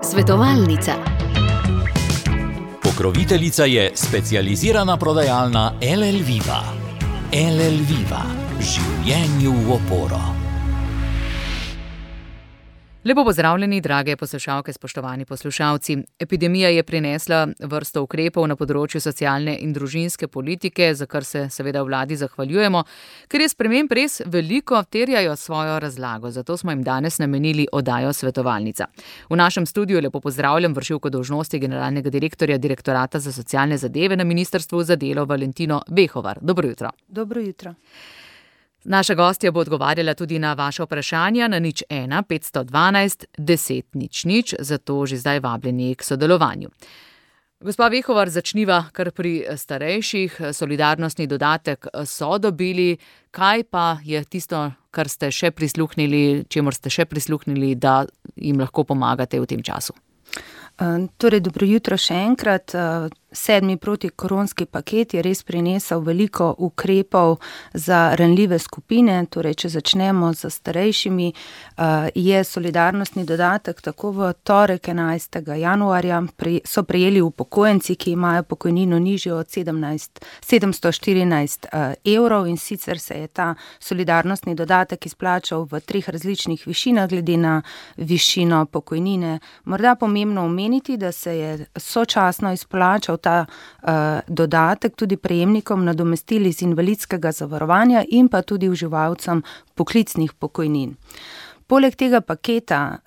Svetovalnica. Pokroviteljica je specializirana prodajalna LL Viva. LL Viva. Življenju v oporo. Lepo pozdravljeni, drage poslušalke, spoštovani poslušalci. Epidemija je prinesla vrsto ukrepov na področju socialne in družinske politike, za kar se seveda vladi zahvaljujemo, ker je sprememb res veliko, terjajo svojo razlago. Zato smo jim danes namenili oddajo Svetovalnica. V našem studiu lepo pozdravljam vršilko dolžnosti generalnega direktorja Direktorata za socialne zadeve na Ministrstvu za delo Valentino Behovar. Dobro jutro. Dobro jutro. Naša gostja bo odgovarjala tudi na vaše vprašanja na 01 512 10 00, zato že zdaj vabljeni k sodelovanju. Gospa Behovar, začniva kar pri starejših. Solidarnostni dodatek so dobili. Kaj pa je tisto, kar ste še prisluhnili, čemur ste še prisluhnili, da jim lahko pomagate v tem času? Torej, dobro jutro še enkrat. 7. protikoronski paket je res prinesel veliko ukrepov za ranljive skupine. Torej, če začnemo z starejšimi, je solidarnostni dodatek tako v torek 11. januarja so prejeli upokojenci, ki imajo pokojnino nižjo od 714 evrov, in sicer se je ta solidarnostni dodatek izplačal v 3 različnih višinah glede na višino pokojnine. Morda pomembno omeniti, da se je sočasno izplačal ta dodatek tudi prejemnikom nadomestil iz invalidskega zavarovanja in pa tudi uživalcem poklicnih pokojnin. Poleg tega paketa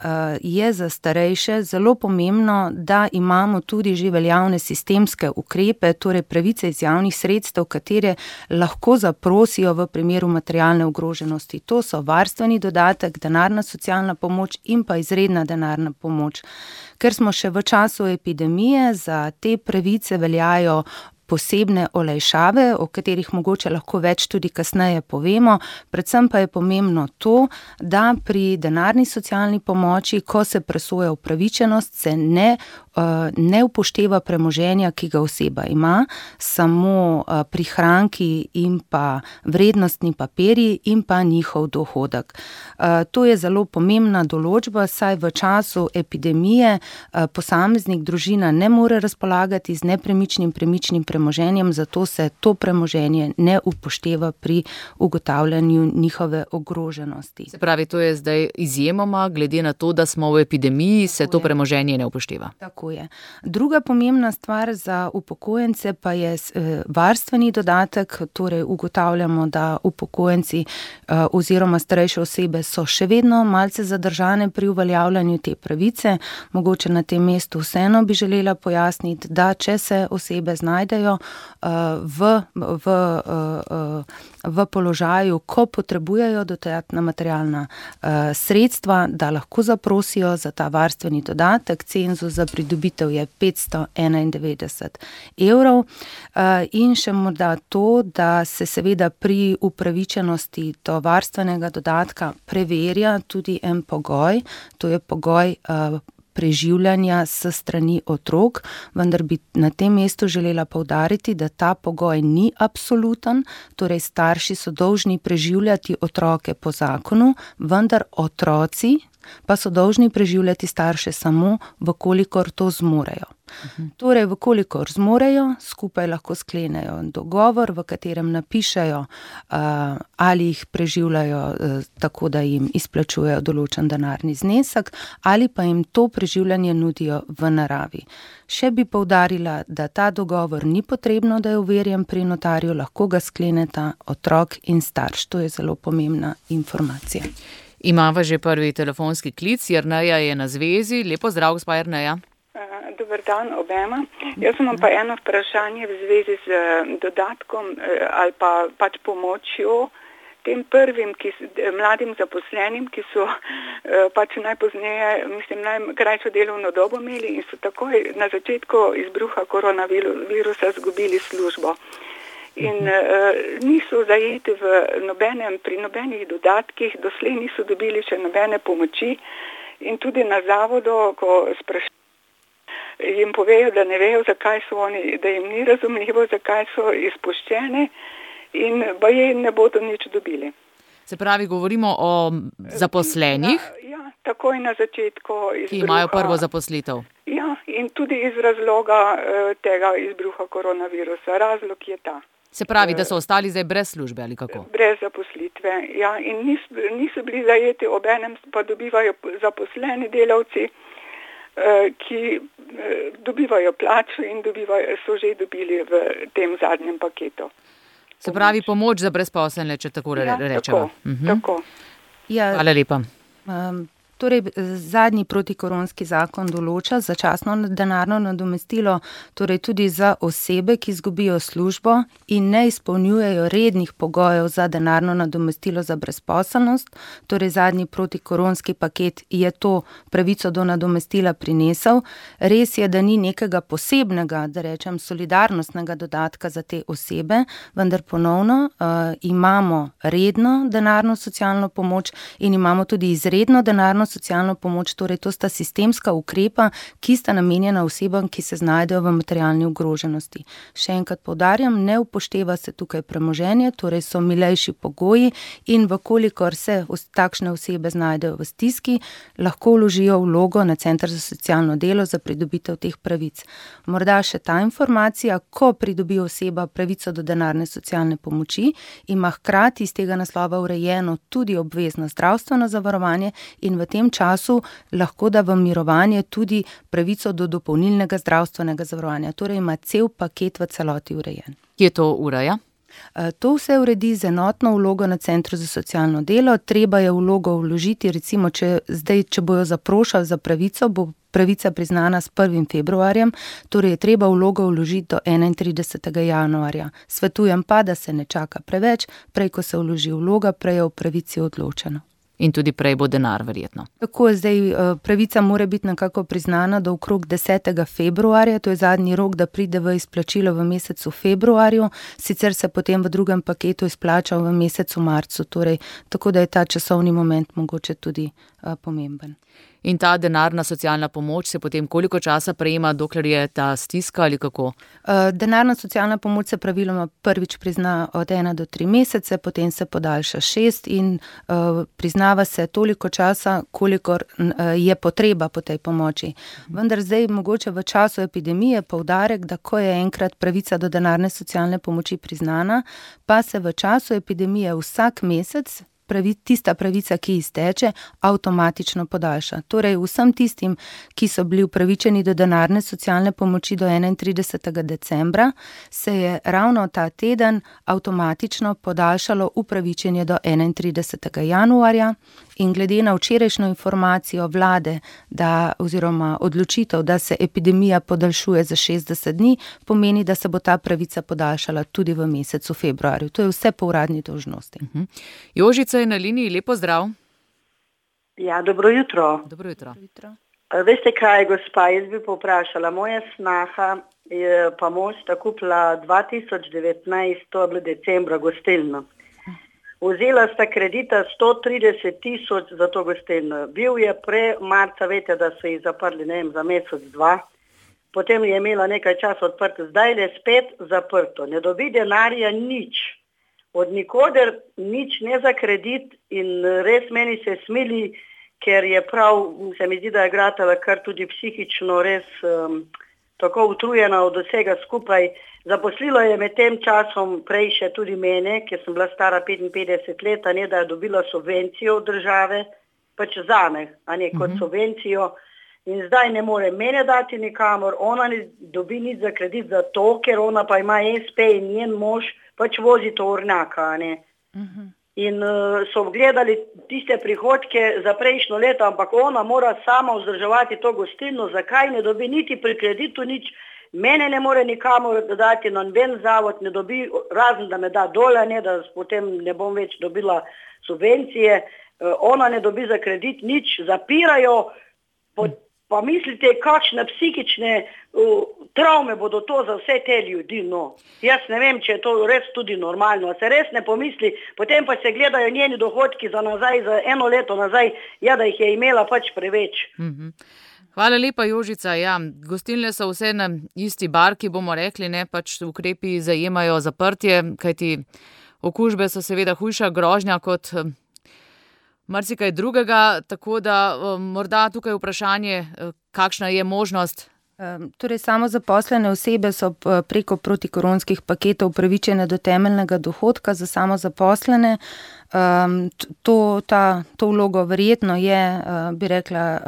je za starejše zelo pomembno, da imamo tudi že veljavne sistemske ukrepe, torej pravice iz javnih sredstev, katere lahko zaprosijo v primeru materialne ogroženosti. To so varstveni dodatek, denarna socialna pomoč in pa izredna denarna pomoč. Ker smo še v času epidemije, za te pravice veljajo posebne olajšave, o katerih mogoče lahko več tudi kasneje povemo. Predvsem pa je pomembno to, da pri denarni socialni pomoči, ko se presoja upravičenost, se ne upošteva premoženja, ki ga oseba ima, samo prihranki in pa vrednostni papirji in pa njihov dohodek. To je zelo pomembna določba, saj v času epidemije posameznik, družina ne more razpolagati z nepremičnim premoženjem, zato se to premoženje ne upošteva pri ugotavljanju njihove ogroženosti. Se pravi, to je zdaj izjemoma, glede na to, da smo v epidemiji, se to premoženje ne upošteva. Tako je. Druga pomembna stvar za upokojence pa je varstveni dodatek, torej ugotavljamo, da upokojenci oziroma starejše osebe so še vedno malce zadržane pri uveljavljanju te pravice. Mogoče na tem mestu vseeno bi želela pojasniti, da če se osebe znajdejo v položaju, ko potrebujejo dodatna materialna sredstva, da lahko zaprosijo za ta varstveni dodatek. Cenzus za pridobitev je 591 evrov. In še morda to, da se seveda pri upravičenosti do varstvenega dodatka preverja tudi en pogoj, to je pogoj preživljanja s strani otrok, vendar bi na tem mestu želela poudariti, da ta pogoj ni absoluten, torej starši so dolžni preživljati otroke po zakonu, vendar otroci pa so dolžni preživljati starše samo, vkolikor to zmorejo. Torej, vkolikor zmorejo, skupaj lahko sklenejo dogovor, v katerem napišejo, ali jih preživljajo tako, da jim izplačujejo določen denarni znesek, ali pa jim to preživljanje nudijo v naravi. Še bi poudarila, da ta dogovor ni potrebno, da je overjen pri notarju, lahko ga skleneta otrok in starš. To je zelo pomembna informacija. Imava že prvi telefonski klic, Jerneja je na zvezi. Lepo zdrav, gospa Jerneja. Dober dan obema. Jaz imam pa eno vprašanje v zvezi z dodatkom ali pa pač pomočjo tem prvim mladim zaposlenim, ki so pač najpozneje, najkrajšo delovno dobo imeli in so takoj na začetku izbruha koronavirusa izgubili službo. In niso zajeti pri nobenih dodatkih, doslej niso dobili še nobene pomoči in tudi na zavodu, ko jim povejo, da ne vejo, zakaj so oni, da jim ni razumljivo, zakaj so izpuščene in baje ne bodo nič dobili. Se pravi, govorimo o zaposlenih, takoj na začetku izbruha. Ki imajo prvo zaposlitev. Ja, in tudi iz razloga tega izbruha koronavirusa. Razlog je ta. Se pravi, da so ostali zdaj brez službe ali kako? Brez zaposlitve, ja. In niso bili zajeti, obenem pa dobivajo zaposleni delavci, ki dobivajo plačo in so že dobili v tem zadnjem paketu. Se pravi, pomoč za brezposelne, če tako rečemo. Tako. Hvala lepa. Torej, zadnji protikoronski zakon določa začasno denarno nadomestilo, torej tudi za osebe, ki izgubijo službo in ne izpolnjujejo rednih pogojev za denarno nadomestilo za brezposelnost. Torej, zadnji protikoronski paket je to pravico do nadomestila prinesel. Res je, da ni nekega posebnega, da rečem, solidarnostnega dodatka za te osebe, vendar ponovno imamo redno denarno socialno pomoč in imamo tudi izredno denarno socialno pomoč, torej to sta sistemska ukrepa, ki sta namenjena osebam, ki se znajdejo v materialni ogroženosti. Še enkrat poudarjam, ne upošteva se tukaj premoženje, torej so milejši pogoji in vkolikor se takšne osebe znajdejo v stiski, lahko vložijo vlogo na Center za socialno delo za pridobitev teh pravic. Morda še ta informacija, ko pridobi oseba pravico do denarne socialne pomoči, ima hkrati iz tega naslova urejeno tudi obvezno zdravstveno zavarovanje in v tem času lahko da v mirovanje tudi pravico do dopolnilnega zdravstvenega zavarovanja. Torej ima cel paket v celoti urejen. Kje to ureja? To vse uredi z enotno vlogo na Centru za socialno delo. Treba je vlogo vložiti, recimo, če bojo zaprošali za pravico, bo pravica priznana s 1. februarjem, torej je treba vlogo vložiti do 31. januarja. Svetujem pa, da se ne čaka preveč, prej ko se vloži vloga, prej je o pravici odločeno. In tudi prej bo denar, verjetno. Tako je zdaj, pravica mora biti nekako priznana do okrog 10. februarja, to je zadnji rok, da pride v izplačilo v mesecu februarju, sicer se potem v drugem paketu izplača v mesecu marcu, torej tako da je ta časovni moment mogoče tudi pomemben. In ta denarna socialna pomoč se potem koliko časa prejema, dokler je ta stiska ali kako? Denarna socialna pomoč se praviloma prvič prizna od 1 do 3 mesece, potem se podaljša 6 in priznava se toliko časa, kolikor je potreba po tej pomoči. Vendar zdaj mogoče v času epidemije poudarek, da ko je enkrat pravica do denarne socialne pomoči priznana, pa se v času epidemije vsak mesec tista pravica, ki izteče, avtomatično podaljša. Torej vsem tistim, ki so bili upravičeni do denarne socialne pomoči do 31. decembra, se je ravno ta teden avtomatično podaljšalo upravičenje do 31. januarja in glede na včerajšnjo informacijo vlade, oziroma odločitev, da se epidemija podaljšuje za 60 dni, pomeni, da se bo ta pravica podaljšala tudi v mesecu februarju. To je vse po uradni dolžnosti. Jožica je na liniji, lepo zdrav. Ja, dobro jutro. Dobro jutro. Veste kaj, gospa, jaz bi povprašala, moja snaha je pa mož kupila 2019, to je bilo decembra, gostilno. Vzela sta kredita 130.000 za to gostilno. Bil je marca, veste, da so jih zaprli, ne vem, za mesec, 2. Potem je imela nekaj časa odprto, zdaj je spet zaprto. Ne dobi denarja nič. Od nikoder nič, ne za kredit in res meni se smili, ker je prav, se mi zdi, da je gratala kar tudi psihično res tako utrujena od vsega skupaj. Zaposlilo je med tem časom prej še tudi mene, ker sem bila stara 55 let, ne da je dobila subvencijo od države, pač zame, a ne kot subvencijo. In zdaj ne more mene dati nikamor, ona ne dobi nič za kredit za to, ker ona pa ima SP in njen mož pač vozi tovornjaka, a ne. In so gledali tiste prihodke za prejšnjo leto, ampak ona mora sama vzdrževati to gostilno, zakaj ne dobi niti pri kreditu nič, mene ne more nikamor dodati, noben zavod ne dobi, razen da me da dole, ne, da potem ne bom več dobila subvencije, ona ne dobi za kredit nič, zapirajo, pa mislite, kakšne psihične travme bodo to za vse te ljudi, no. Jaz ne vem, če je to res tudi normalno, se res ne pomisli, potem pa se gledajo njeni dohodki za nazaj, za 1 leto nazaj, ja, da jih je imela pač preveč. Hvala lepa, Jožica. Ja, gostilne so vse na isti barki, bomo rekli, ne, pač ukrepi zajemajo zaprtje, kajti okužbe so seveda hujša grožnja kot marsikaj drugega, tako da morda tukaj vprašanje, kakšna je možnost. Torej, samozaposlene osebe so preko protikoronskih paketov upravičene do temeljnega dohodka za samozaposlene. To vlogo verjetno je, bi rekla,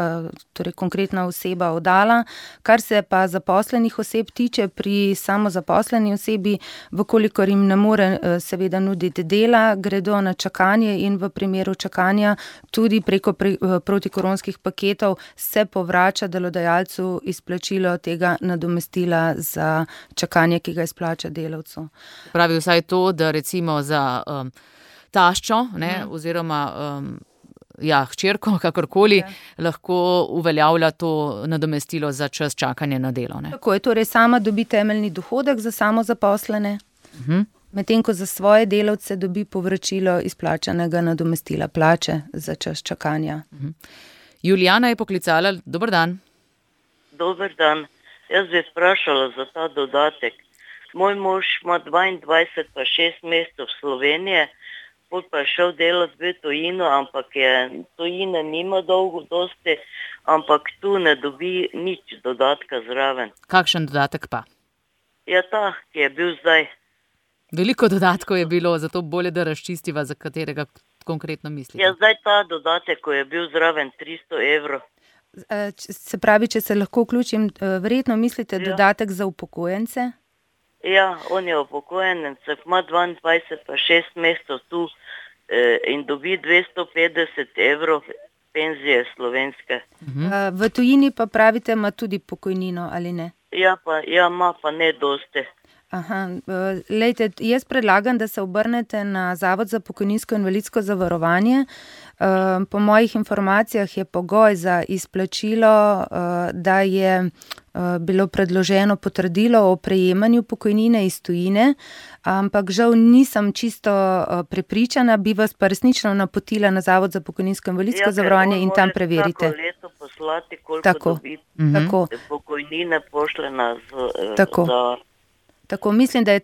torej konkretna oseba oddala. Kar se pa zaposlenih oseb tiče, pri samozaposleni osebi, vkolikor jim ne more seveda nuditi dela, gredo na čakanje in v primeru čakanja tudi preko protikoronskih paketov se povrača delodajalcu izplačilo tega nadomestila za čakanje, ki ga izplača delavcu. Pravi vsaj to, da recimo za taščo, oziroma hčerko, kakorkoli, lahko uveljavlja to nadomestilo za čas čakanja na delo. Tako je, torej sama dobi temeljni dohodek za samozaposlene, medtem ko za svoje delavce dobi povračilo izplačanega nadomestila plače za čas čakanja. Julijana je poklicala. Dober dan. Dober dan. Jaz bi sprašala za ta dodatek. Moj mož ima 22 pa 6 mesecev v Sloveniji, pot pa je šel delati v tujino, ampak tujine nima dolgo dosti, ampak tu ne dobi nič dodatka zraven. Kakšen dodatek pa? Ja, ta, ki je bil zdaj. Veliko dodatkov je bilo, zato bolje, da razčistiva, za katerega konkretno mislite. Ja, zdaj ta dodatek, ko je bil zraven 300 evrov. Se pravi, če se lahko vključim, verjetno mislite dodatek za upokojence? Ja, on je upokojenec, ima 22 pa 6 mesecev tu in dobi 250 evrov penzije slovenske. V tujini pa pravite, ima tudi pokojnino, ali ne? Ja, ima pa ne dosti. Lejte, jaz predlagam, da se obrnete na Zavod za pokojninsko in invalidsko zavarovanje. Po mojih informacijah je pogoj za izplačilo, da je bilo predloženo potrdilo o prejemanju pokojnine iz tujine, ampak žal nisem čisto prepričana, bi vas pa resnično napotila na Zavod za pokojninsko in invalidsko zavarovanje in tam preverite. Ja, ker leto poslati, koliko dobi pokojnine pošljena Tako, mislim, da je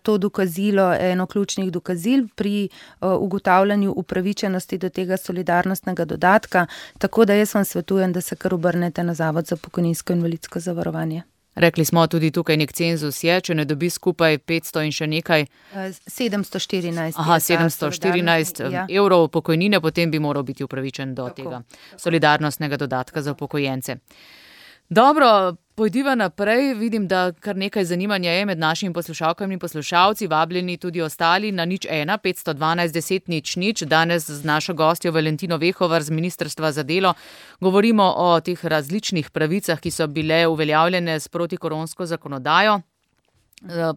to dokazilo eno ključnih dokazil pri ugotavljanju upravičenosti do tega solidarnostnega dodatka, tako da jaz vam svetujem, da se kar obrnete na Zavod za pokojninsko in invalidsko zavarovanje. Rekli smo tudi tukaj nek cenzus je, če ne dobi skupaj 500 in še nekaj. 714. 714 evrov pokojnine, potem bi moral biti upravičen do tega solidarnostnega dodatka za upokojence. Dobro, pojdiva naprej. Vidim, da kar nekaj zanimanja je med našimi poslušalkami in poslušalci, vabljeni tudi ostali na 01 512 10 00. Danes z našo gostjo Valentino Vehovar z Ministrstva za delo govorimo o teh različnih pravicah, ki so bile uveljavljene s protikoronsko zakonodajo.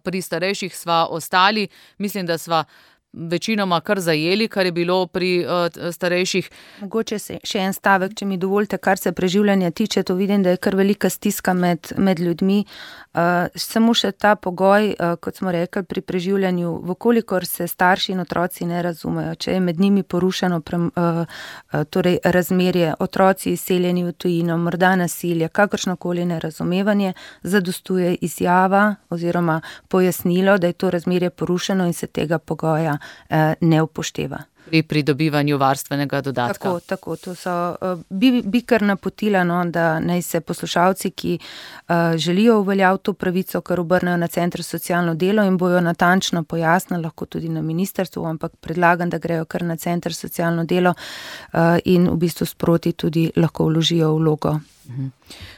Pri starejših sva ostali, mislim, da sva večinoma kar zajeli, kar je bilo pri starejših. Mogoče še en stavek, če mi dovolite, kar se preživljanja tiče, to vidim, da je kar velika stiska med ljudmi. Samo še ta pogoj, kot smo rekli, pri preživljanju, vkolikor se starši in otroci ne razumejo, če je med njimi porušeno torej razmerje, otroci izseljeni v tujino, morda nasilje, kakršnokoli nerazumevanje, zadostuje izjava oziroma pojasnilo, da je to razmerje porušeno in se tega pogoja ne upošteva. Pri pridobivanju varstvenega dodatka. Tako, to so, bi kar napotila, da naj se poslušalci, ki želijo uveljaviti to pravico, kar obrnejo na Center za socialno delo in bojo natančno pojasnili, lahko tudi na ministrstvu, ampak predlagam, da grejo kar na Center za socialno delo in v bistvu sproti tudi lahko vložijo vlogo.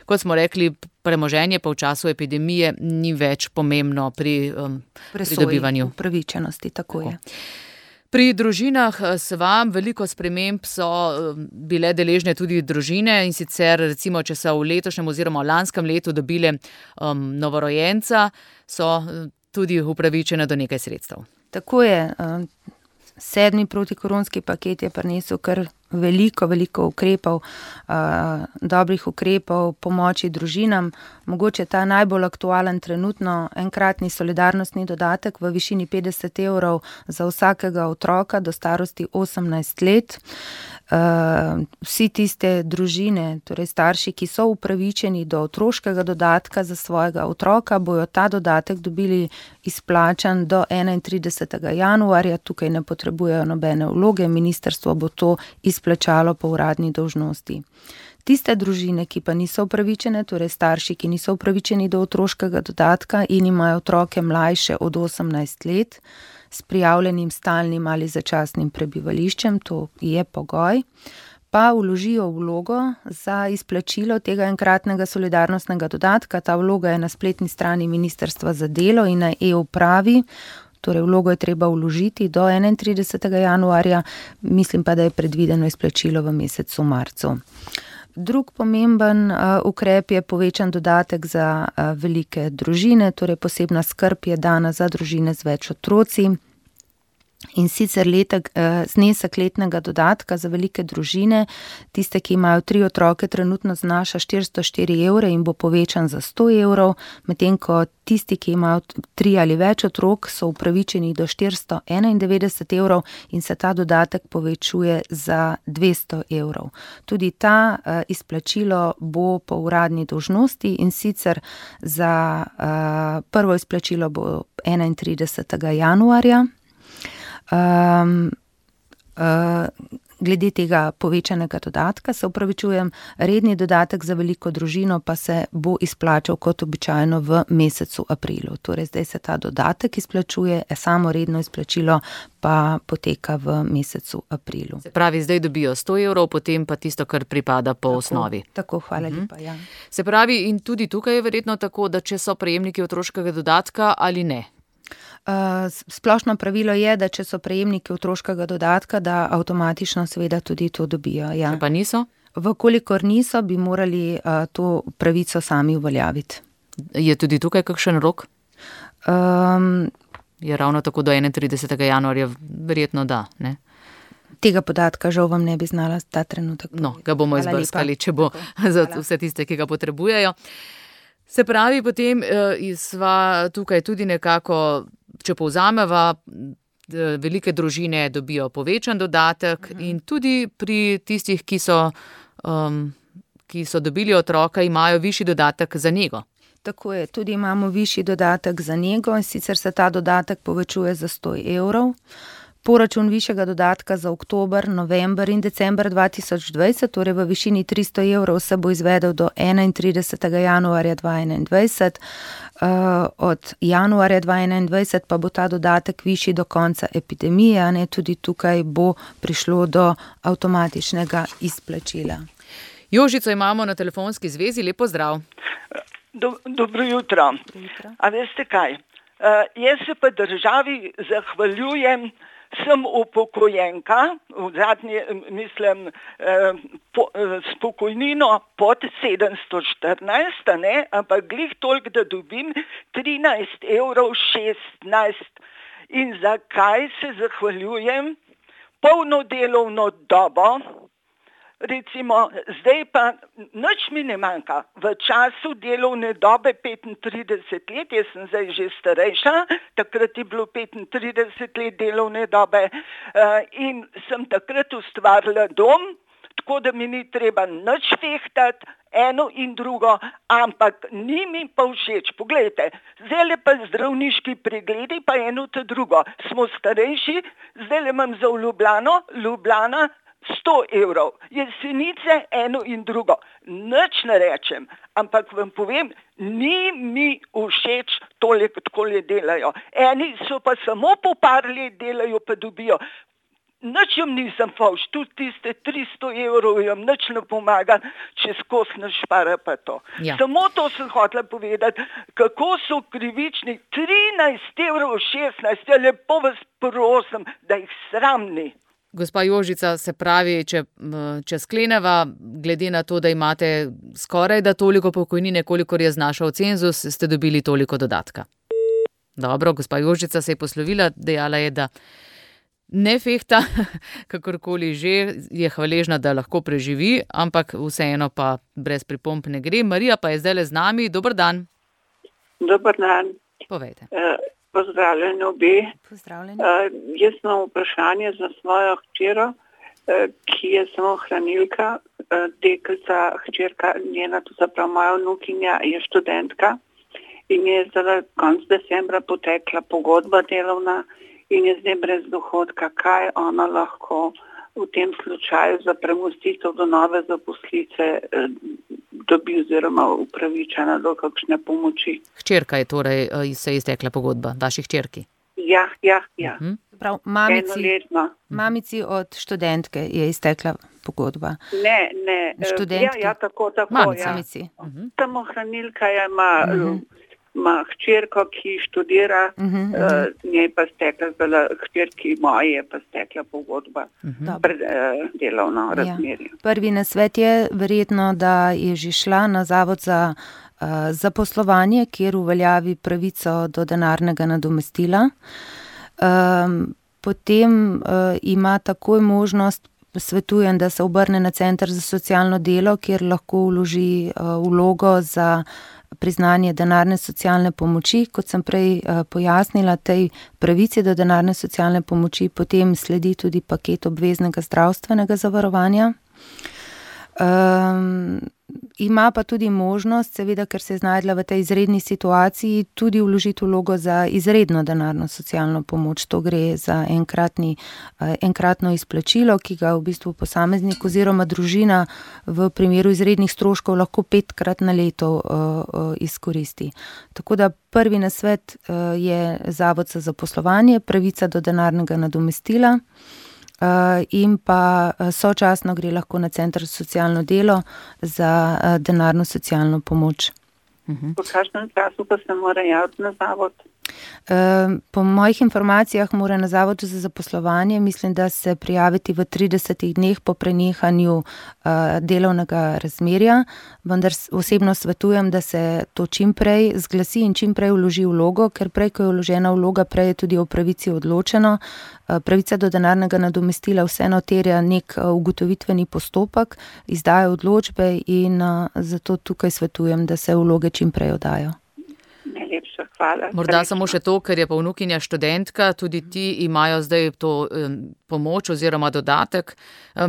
Kot smo rekli, premoženje pa v času epidemije ni več pomembno pri pridobivanju upravičenosti, tako je. Pri družinah sva veliko sprememb so bile deležne tudi družine in sicer recimo, če so v letošnjem oziroma v lanskem letu dobile novorojenca, so tudi upravičene do nekaj sredstev. Tako je. 7. protikoronski paket je prinesel kar veliko ukrepov, dobrih ukrepov, pomoči družinam. Mogoče ta najbolj aktualen trenutno enkratni solidarnostni dodatek v višini 50 evrov za vsakega otroka do starosti 18 let. vsi tiste družine, torej starši, ki so upravičeni do otroškega dodatka za svojega otroka, bojo ta dodatek dobili izplačan do 31. januarja. Tukaj ne potrebujejo nobene vloge, ministrstvo bo to izplačalo po uradni dolžnosti. Tiste družine, ki pa niso upravičene, torej starši, ki niso upravičeni do otroškega dodatka in imajo otroke mlajše od 18 let, s prijavljenim stalnim ali začasnim prebivališčem, to je pogoj, pa vložijo vlogo za izplačilo tega enkratnega solidarnostnega dodatka. Ta vloga je na spletni strani Ministrstva za delo in na e-upravi, torej vlogo je treba vložiti do 31. januarja, mislim pa, da je predvideno izplačilo v mesecu marcu. Drug pomemben ukrep je povečan dodatek za velike družine, torej posebna skrb je dana za družine z več otroci. In sicer znesek letnega dodatka za velike družine, tiste, ki imajo 3 otroke, trenutno znaša 404 evre in bo povečan za 100 evrov, medtem ko tisti, ki imajo 3 ali več otrok, so upravičeni do 491 evrov in se ta dodatek povečuje za 200 evrov. Tudi ta izplačilo bo po uradni dolžnosti in sicer za prvo izplačilo bo 31. januarja. Glede tega povečanega dodatka se opravičujem, redni dodatek za veliko družino pa se bo izplačal kot običajno v mesecu aprilu. Torej zdaj se ta dodatek izplačuje, samo redno izplačilo pa poteka v mesecu aprilu. Se pravi, zdaj dobijo 100 evrov, potem pa tisto, kar pripada po osnovi. Tako, hvala lepa, ja. Se pravi, in tudi tukaj je verjetno tako, da če so prejemniki otroškega dodatka ali ne? Splošno pravilo je, da če so prejemniki otroškega dodatka, da avtomatično seveda tudi to dobijo. Ja. Če pa niso? Vkolikor niso, bi morali to pravico sami uveljaviti. Je tudi tukaj kakšen rok? Je ravno tako do 31. januarja, verjetno da, ne? Tega podatka žal vam ne bi znala ta trenutek. No, ga bomo izbrskali, če bo za vse tiste, ki ga potrebujejo. Se pravi, potem sva tukaj tudi nekako, če povzameva, velike družine dobijo povečan dodatek in tudi pri tistih, ki so dobili otroka, imajo višji dodatek za nego. Tako je, tudi imamo višji dodatek za nego in sicer se ta dodatek povečuje za 100 evrov. Poračun višjega dodatka za oktober, november in december 2020, torej v višini 300 evrov, se bo izvedel do 31. januarja 2021. Od januarja 2021 pa bo ta dodatek višji do konca epidemije, ne, tudi tukaj bo prišlo do avtomatičnega izplačila. Jožico imamo na telefonski zvezi, lepo zdrav. Dobro jutro. A veste kaj? Jaz se pa državi zahvaljujem, sem upokojenka, v zadnji, mislim, s pokojnino pod 714, ne, ampak glih toliko, da dobim 13,16 evrov. In zakaj se zahvaljujem? Polno delovno dobo, recimo, zdaj pa nič mi ne manjka. V času delovne dobe 35 let, jaz sem zdaj že starejša, takrat je bilo 35 let delovne dobe in sem takrat ustvarila dom, tako da mi ni treba nič fehtati, eno in drugo, ampak ni mi pa všeč. Poglejte, zdaj pa zdravniški pregledi, pa eno te drugo. Smo starejši, zdaj imam za Ljubljana 100 evrov, Jesenice eno in drugo. Nič ne rečem, ampak vam povem, ni mi všeč toliko, takole delajo. Eni so pa samo po par let delajo, pa dobijo. Nič jim nisem favš, tudi tiste 300 evrov jim nič ne pomaga, če skozi ne špara pa to. Ja. Samo to sem hotela povedati, kako so krivični. 13,16 evrov, ja, lepo vas prosim, da jih sram ni. Gospa Jožica, se pravi, če skleneva, glede na to, da imate skoraj da toliko pokojnine, kolikor je znašal cenzus, ste dobili toliko dodatka. Dobro, gospa Jožica se je poslovila, dejala je, da ne fehta, kakorkoli že, je hvaležna, da lahko preživi, ampak vseeno pa brez pripomb ne gre. Marija pa je zdajle z nami. Dober dan. Dober dan. Povejte. Pozdravljeni obe. Pozdravljeni. Jaz imam vprašanje za svojo hčero. ki je samo hranilka, deklica, hčerka njena, to se pravi moja vnukinja, je študentka in je zdaj konec decembra potekla pogodba delovna in je zdaj brez dohodka. Kaj ona lahko v tem slučaju za premostitev do nove zaposlitve dobi oziroma upravičena do kakšne pomoči? Hčerka je torej, se je iztekla pogodba, vaši hčerki? Ja. Prav, mamici od študentke je iztekla pogodba. Ne. Študentki? Ja, tako. Mamici. Samo hranilka ima hčerko, ki študira, njej pa stekla, hčerki moji je pa stekla pogodba pred delovno razmerje. Prvi nasvet je verjetno, da je že šla na Zavod za zaposlovanje, kjer uveljavi pravico do denarnega nadomestila. Potem ima takoj možnost, svetujem, da se obrne na Center za socialno delo, kjer lahko vloži vlogo za priznanje denarne socialne pomoči. Kot sem prej pojasnila, tej pravici do denarne socialne pomoči potem sledi tudi paket obveznega zdravstvenega zavarovanja. Ima pa tudi možnost, seveda, ker se je znajdla v tej izredni situaciji, tudi vložiti vlogo za izredno denarno socialno pomoč. To gre za enkratno izplačilo, ki ga v bistvu posameznik oziroma družina v primeru izrednih stroškov lahko 5-krat na leto izkoristi. Tako da prvi nasvet je Zavod za zaposlovanje, pravica do denarnega nadomestila. In pa sočasno gre lahko na Center za socialno delo za denarno socialno pomoč. Po kakšnem času pa se mora javiti na zavod? Po mojih informacijah mora na Zavodu za zaposlovanje, mislim, da se prijaviti v 30 dneh po prenehanju delovnega razmerja, vendar osebno svetujem, da se to čim prej zglasi in čim prej vloži vlogo, ker prej, ko je vložena vloga, prej je tudi o pravici odločeno. Pravica do denarnega nadomestila vseeno terja nek ugotovitveni postopek, izdaja odločbe in zato tukaj svetujem, da se vloge čim prej oddajo. Najlepša hvala. Morda samo še to, ker je pa vnukinja študentka, tudi ti imajo zdaj to pomoč oziroma dodatek.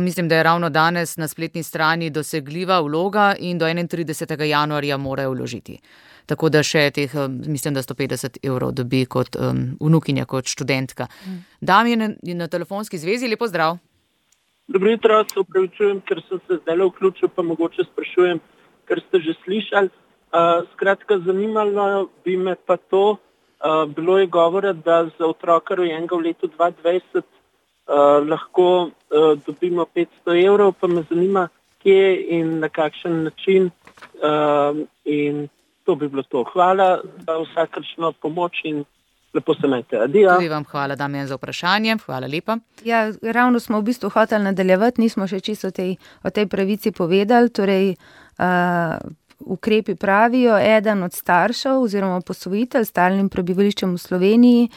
Mislim, da je ravno danes na spletni strani dosegljiva vloga in do 31. januarja morajo vložiti. Tako da še teh, mislim, da 150 € dobi kot vnukinja, kot študentka. Damjan je na telefonski zvezi, lepo zdrav. Dobro jutro, se upravičujem, ker sem se zdaj vključil, pa mogoče sprašujem, ker ste že slišali. Skratka, zanimalo bi me pa to, bilo je govora, da za otroka rojenega v letu 2020 lahko dobimo 500 €, pa me zanima, kje in na kakšen način, in to bi bilo to. Hvala za vsakršno pomoč in lepo se imejte. Adijo. Tudi vam hvala, Damjan, za vprašanje. Hvala lepa. Ja, ravno smo v bistvu hoteli nadaljevati, nismo še čisto o tej pravici povedali, torej ukrepi pravijo, eden od staršev oziroma posvojitelj s stalnim prebivališčem v Sloveniji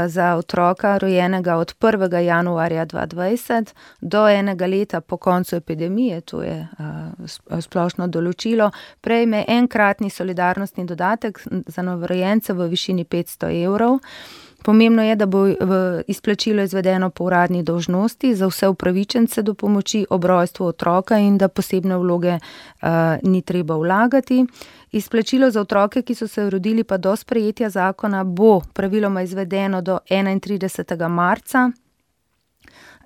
za otroka rojenega od 1. januarja 2020 do 1 leta po koncu epidemije, to je splošno določilo, prejme enkratni solidarnostni dodatek za novorojence v višini 500 €. Pomembno je, da bo izplačilo izvedeno po uradni dolžnosti za vse upravičence do pomoči ob rojstvu otroka in da posebne vloge ni treba vlagati. Izplačilo za otroke, ki so se rodili pa do sprejetja zakona, bo praviloma izvedeno do 31. marca.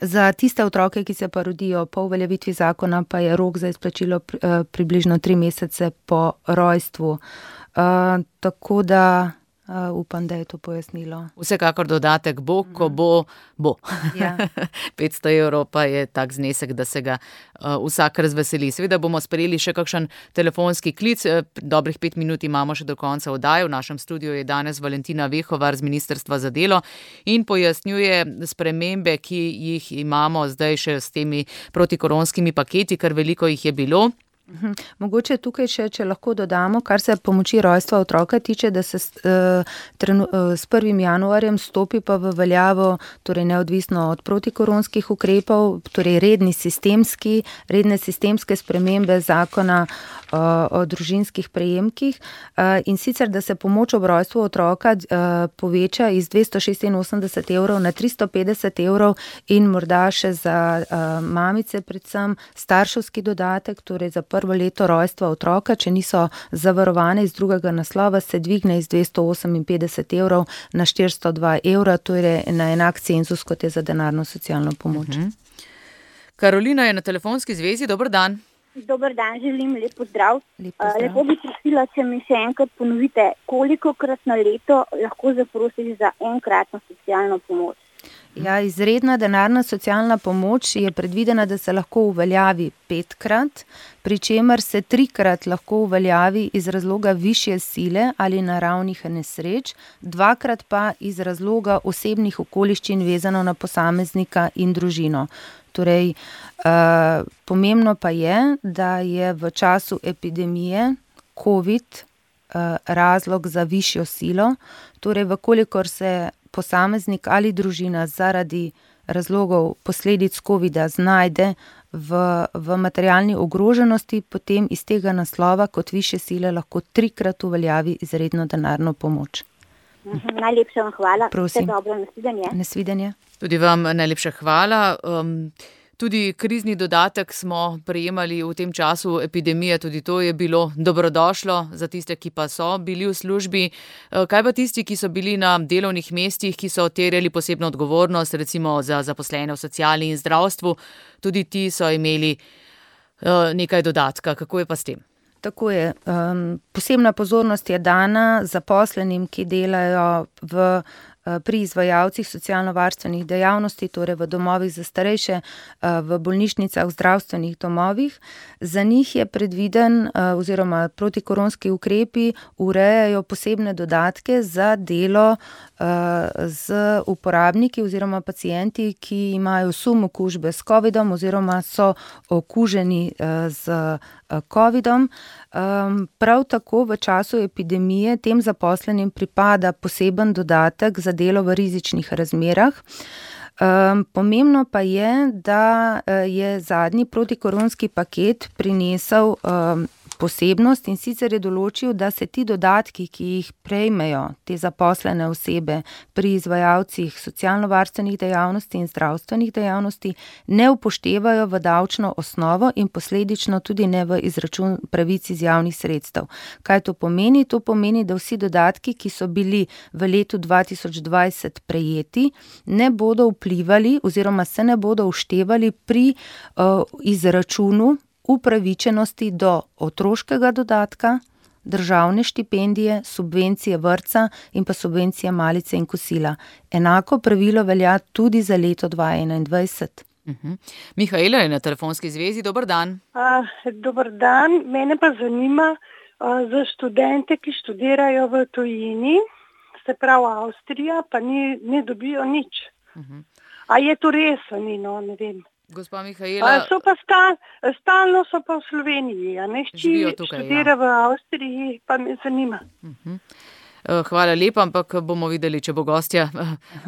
Za tiste otroke, ki se pa rodijo po uveljavitvi zakona, pa je rok za izplačilo približno 3 mesece po rojstvu. Tako da upam, da je to pojasnilo. Vsekakor dodatek bo, ko bo. Ja. 500 € pa je tak znesek, da se ga vsak razveseli. Seveda bomo sprejeli še kakšen telefonski klic. Dobrih 5 minut imamo še do konca oddaje. V našem studiu je danes Valentina Vehovar z Ministrstva za delo in pojasnjuje spremembe, ki jih imamo zdaj še s temi protikoronskimi paketi, kar veliko jih je bilo. Mogoče tukaj še, če lahko dodamo, kar se pomoči rojstva otroka tiče, da se s 1. januarjem stopi pa v veljavo, torej neodvisno od protikoronskih ukrepov, torej redne sistemske spremembe zakona o družinskih prejemkih, in sicer, da se pomoč ob rojstvu otroka poveča iz 286 evrov na 350 evrov in morda še za mamice predvsem starševski dodatek, torej za prvo leto rojstva otroka, če niso zavarovane iz drugega naslova, se dvigne iz 258 evrov na 402 evra, torej na enak cenzus, kot je za denarno socialno pomoč. Karolina je na telefonski zvezi, dober dan. Dober dan, želim lep pozdrav. Lepo bi prosila, če mi še enkrat ponovite, kolikokrat na leto lahko zaprosiš za enkratno socialno pomoč? Ja, izredna denarna socialna pomoč je predvidena, da se lahko uveljavi 5-krat, pri čemer se 3-krat lahko uveljavi iz razloga višje sile ali naravnih nesreč, 2-krat pa iz razloga osebnih okoliščin vezano na posameznika in družino. Torej, pomembno pa je, da je v času epidemije COVID razlog za višjo silo, torej vkolikor se posameznik ali družina zaradi razlogov posledic COVID-a znajde v materialni ogroženosti, potem iz tega naslova kot višje sile lahko 3-krat uveljavi izredno denarno pomoč. Najlepša vam hvala. Prosim. Vse dobro, nasvidenje. Nasvidenje. Tudi vam najlepša hvala. Tudi krizni dodatek smo prejemali v tem času epidemije, tudi to je bilo dobrodošlo za tiste, ki pa so bili v službi. Kaj pa tisti, ki so bili na delovnih mestih, ki so terjali posebno odgovornost, recimo za zaposlene v sociali in zdravstvu, tudi ti so imeli nekaj dodatka. Kako je pa s tem? Tako je. Posebna pozornost je dana zaposlenim, ki delajo pri izvajalcih socialno-varstvenih dejavnosti, torej v domovih za starejše, v bolnišnicah, v zdravstvenih domovih. Za njih je predviden oziroma protikoronski ukrepi urejajo posebne dodatke za delo z uporabniki oziroma pacienti, ki imajo sum okužbe s COVID-om oziroma so okuženi z COVID-om. Prav tako v času epidemije tem zaposlenim pripada poseben dodatek za delo v rizičnih razmerah. Pomembno pa je, da je zadnji protikoronski paket prinesel posebnost, in sicer je določil, da se ti dodatki, ki jih prejmejo te zaposlene osebe pri izvajalcih socialno-varstvenih dejavnosti in zdravstvenih dejavnosti, ne upoštevajo v davčno osnovo in posledično tudi ne v izračun pravic iz javnih sredstev. Kaj to pomeni? To pomeni, da vsi dodatki, ki so bili v letu 2020 prejeti, ne bodo vplivali oziroma se ne bodo vštevali pri izračunu upravičenosti do otroškega dodatka, državne štipendije, subvencije vrtca in pa subvencije malice in kosila. Enako pravilo velja tudi za leto 2021. Mihaela je na telefonski zvezi, dober dan. Dober dan, mene pa zanima za študente, ki študirajo v tujini, se pravi Avstrija, pa ne dobijo nič. A je to res, ne vem. Gospa Mihaela, so pa stalno so pa v Sloveniji, a ne študira v Avstriji, pa me zanima. Hvala lepa, ampak bomo videli, če bo gostja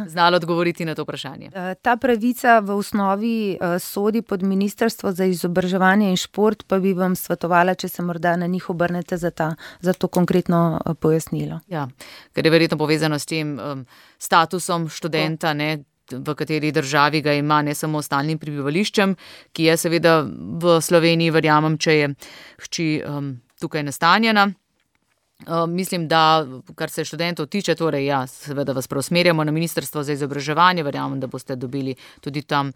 znala odgovoriti na to vprašanje. Ta pravica v osnovi sodi pod Ministrstvo za izobraževanje in šport, pa bi vam svetovala, če se morda na njih obrnete za to konkretno pojasnilo. Ja, ker je verjetno povezano s tem statusom študenta, ne, v kateri državi ga ima, ne samo stalnim prebivališčem, ki je seveda v Sloveniji, verjamem, če je hči tukaj nastanjena. Mislim, da kar se študentov tiče, torej ja, seveda vas preusmerjamo na Ministrstvo za izobraževanje, verjamem, da boste dobili tudi tam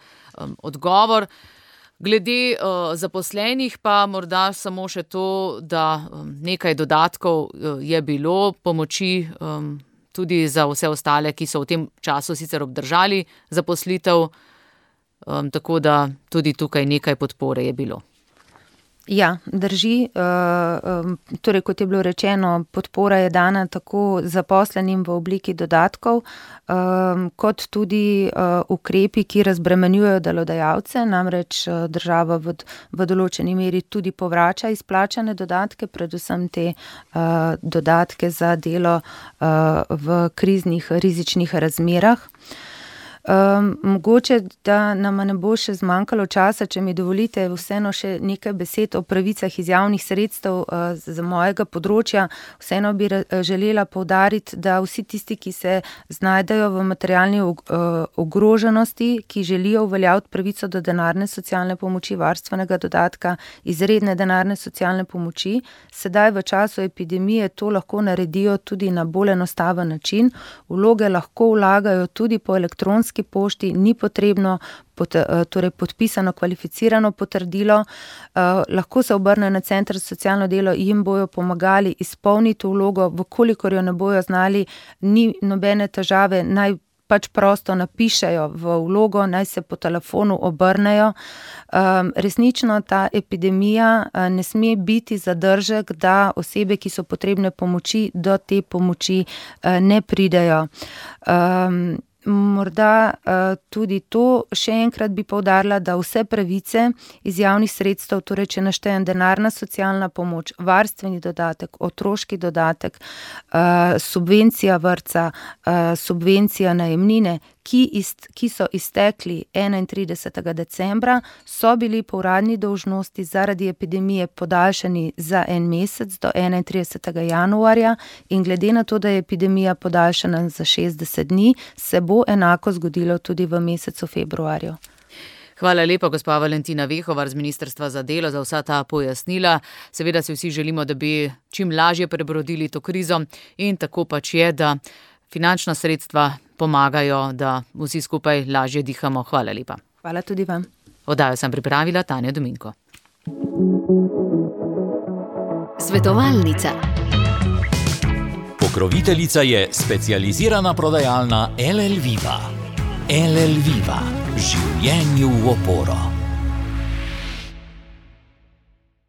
odgovor. Glede zaposlenih pa morda samo še to, da nekaj dodatkov je bilo, pomoči tudi za vse ostale, ki so v tem času sicer obdržali zaposlitev, tako da tudi tukaj nekaj podpore je bilo. Ja, drži. Torej, kot je bilo rečeno, podpora je dana tako zaposlenim v obliki dodatkov, kot tudi ukrepi, ki razbremenjujejo delodajalce, namreč država v določeni meri tudi povrača izplačane dodatke, predvsem te dodatke za delo v kriznih rizičnih razmerah. Mogoče, da nam ne bo še zmanjkalo časa, če mi dovolite vseeno še nekaj besed o pravicah iz javnih sredstev za mojega področja. Vseeno bi želela poudariti, da vsi tisti, ki se znajdejo v materialni ogroženosti, ki želijo uveljaviti pravico do denarne socialne pomoči, varstvenega dodatka, izredne denarne socialne pomoči, sedaj v času epidemije to lahko naredijo tudi na bolj enostaven način. Vloge lahko vlagajo tudi po elektronski pošti, ni potrebno torej podpisano kvalificirano potrdilo, lahko se obrnejo na center za socialno delo, jim bojo pomagali izpolniti vlogo, vkolikor jo ne bojo znali, ni nobene težave, naj pač prosto napišejo v vlogo, naj se po telefonu obrnejo. Resnično ta epidemija ne sme biti zadržek, da osebe, ki so potrebne pomoči, do te pomoči ne pridejo. Morda tudi to še enkrat bi poudarila, da vse pravice iz javnih sredstev, torej če naštejem denarna socialna pomoč, varstveni dodatek, otroški dodatek, subvencija vrtca, subvencija najemnine, ki so iztekli 31. decembra, so bili po uradni dolžnosti zaradi epidemije podaljšani za 1 mesec do 31. januarja in glede na to, da je epidemija podaljšana za 60 dni, se bo enako zgodilo tudi v mesecu februarju. Hvala lepa, gospa Valentina Vehovar z Ministrstva za delo, za vsa ta pojasnila. Seveda si vsi želimo, da bi čim lažje prebrodili to krizo in tako pač je, da finančna sredstva pomagajo, da vsi skupaj lažje dihamo. Hvala lepa. Hvala tudi vam. Oddajo sem pripravila Tanja Dominko. Svetovalnica. Pokroviteljica je specializirana prodajalna LL Viva. LL Viva. Življenju v oporo.